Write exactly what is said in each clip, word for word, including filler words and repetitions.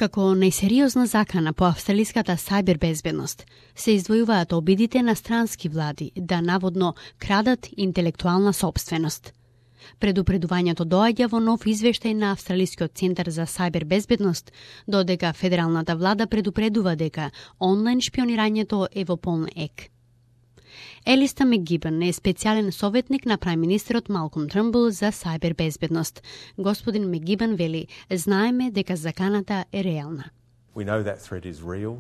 Како најсериозна закана по австралиската сајбер безбедност се издвојуваат обидите на странски влади да наводно крадат интелектуална сопственост. Предупредувањето доаѓа во нов извештај на Австралискиот центар за сајбер безбедност, додека федералната влада предупредува дека онлайн шпионирањето е во полн ек. Елиста Мегибан е специјален советник на прајм-министерот Малком Трмбул за сајбер безбедност. Господин Мегибан вели: "Знаеме дека заканата е реална." We know that threat is real.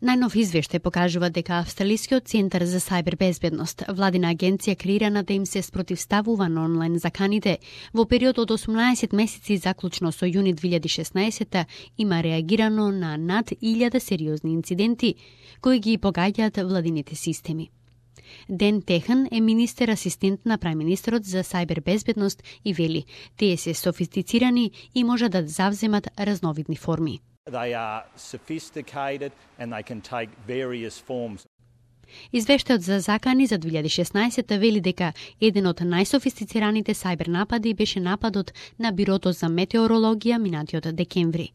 Најнов извештај покажува дека Австралискиот центар за сајбер безбедност, владина агенција креирана да им се спротивставува на онлайн заканите, во период од осумнаесет месеци заклучно со јуни две илјади и шеснаесета има реагирано на над илјада сериозни инциденти кои ги погаѓаат владините системи. Ден Техен е министер асистент на прајм-министерот за сајбер безбедност и вели: "Тие се софистицирани и може да завземат разновидни форми." They are sophisticated and they can take various forms. Извештајот за закани за две илјади и шеснаесета вели дека еден од најсофистицираните сајбер напади беше нападот на Бирото за метеорологија минатиот декември.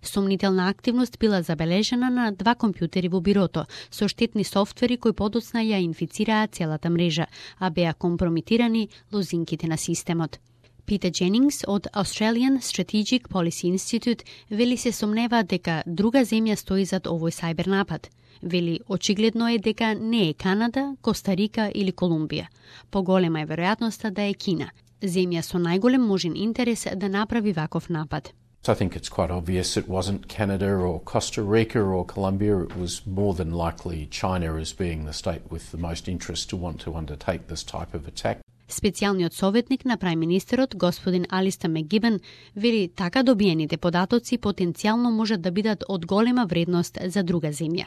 Сомнителна активност била забележана на два компјутери во бирото со штетни софтвери кои подоцна ја инфицираа целата мрежа, а беа компрометирани лозинките на системот. Питер Дженингс од Australian Strategic Policy Institute вели се сомнева дека друга земја стои зад овој сајбер напад. Вели: "Очигледно е дека не е Канада, Коста Рика или Колумбија. Поголема е веројатноста да е Кина, земја со најголем можен интерес да направи ваков напад." So I think it's quite obvious it wasn't Canada or Costa Rica or Colombia. It was more than likely China as being the state with the most interest to want to undertake this type of attack. Специјалниот советник на прајм-министерот, господин Алиста Мегибан, вели така добиените податоци потенцијално можат да бидат од голема вредност за друга земја.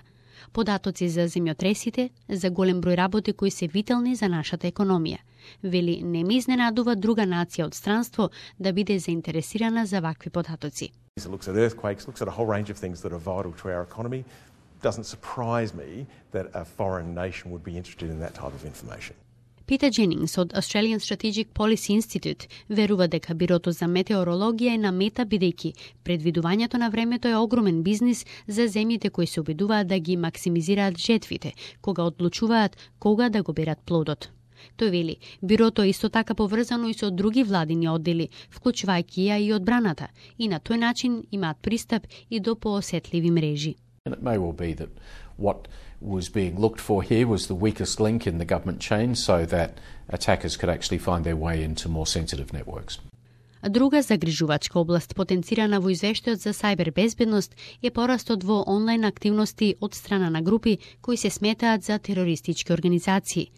Податоци за земјотресите, за голем број работи кои се витални за нашата економија. Вели: "Не ме изненадува друга нација од странство да биде заинтересирана за вакви податоци." It looks at earthquakes, looks at a whole range of things that are vital to our economy. Doesn't surprise me that a foreign nation would be interested in that type of information. Питер Дженингс од Australian Strategic Policy Institute верува дека Бирото за метеорологија е на мета бидејќи предвидувањето на времето е огромен бизнис за земјите кои се обидуваат да ги максимизираат жетвите, кога одлучуваат кога да го берат плодот. Тој вели: "Бирото е исто така поврзано и со други владини оддели, вклучувајќи ја и одбраната, и на тој начин имаат пристап и до поосетливи мрежи." And it may well be that what was being looked for here was the weakest link in the government chain so that attackers could actually find their way into more sensitive networks. Друга загрижувачка област потенцирана во извештајот за сајбер безбедност е порастот во онлайн активности од страна на групи кои се сметаат за терористички организации.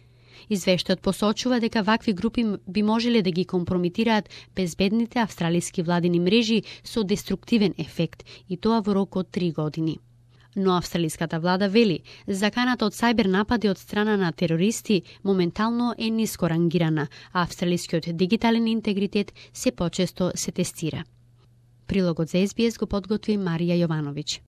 Извештајот посочува дека вакви групи би можеле да ги компрометираат безбедните австралиски владини мрежи со деструктивен ефект, и тоа во рок од три години. Но австралиската влада вели: "Заканата од сајбер напади од страна на терористи моментално е ниско рангирана, а австралискиот дигитален интегритет се почесто се тестира." Прилогот за Ес Би Ес го подготви Марија Јовановиќ.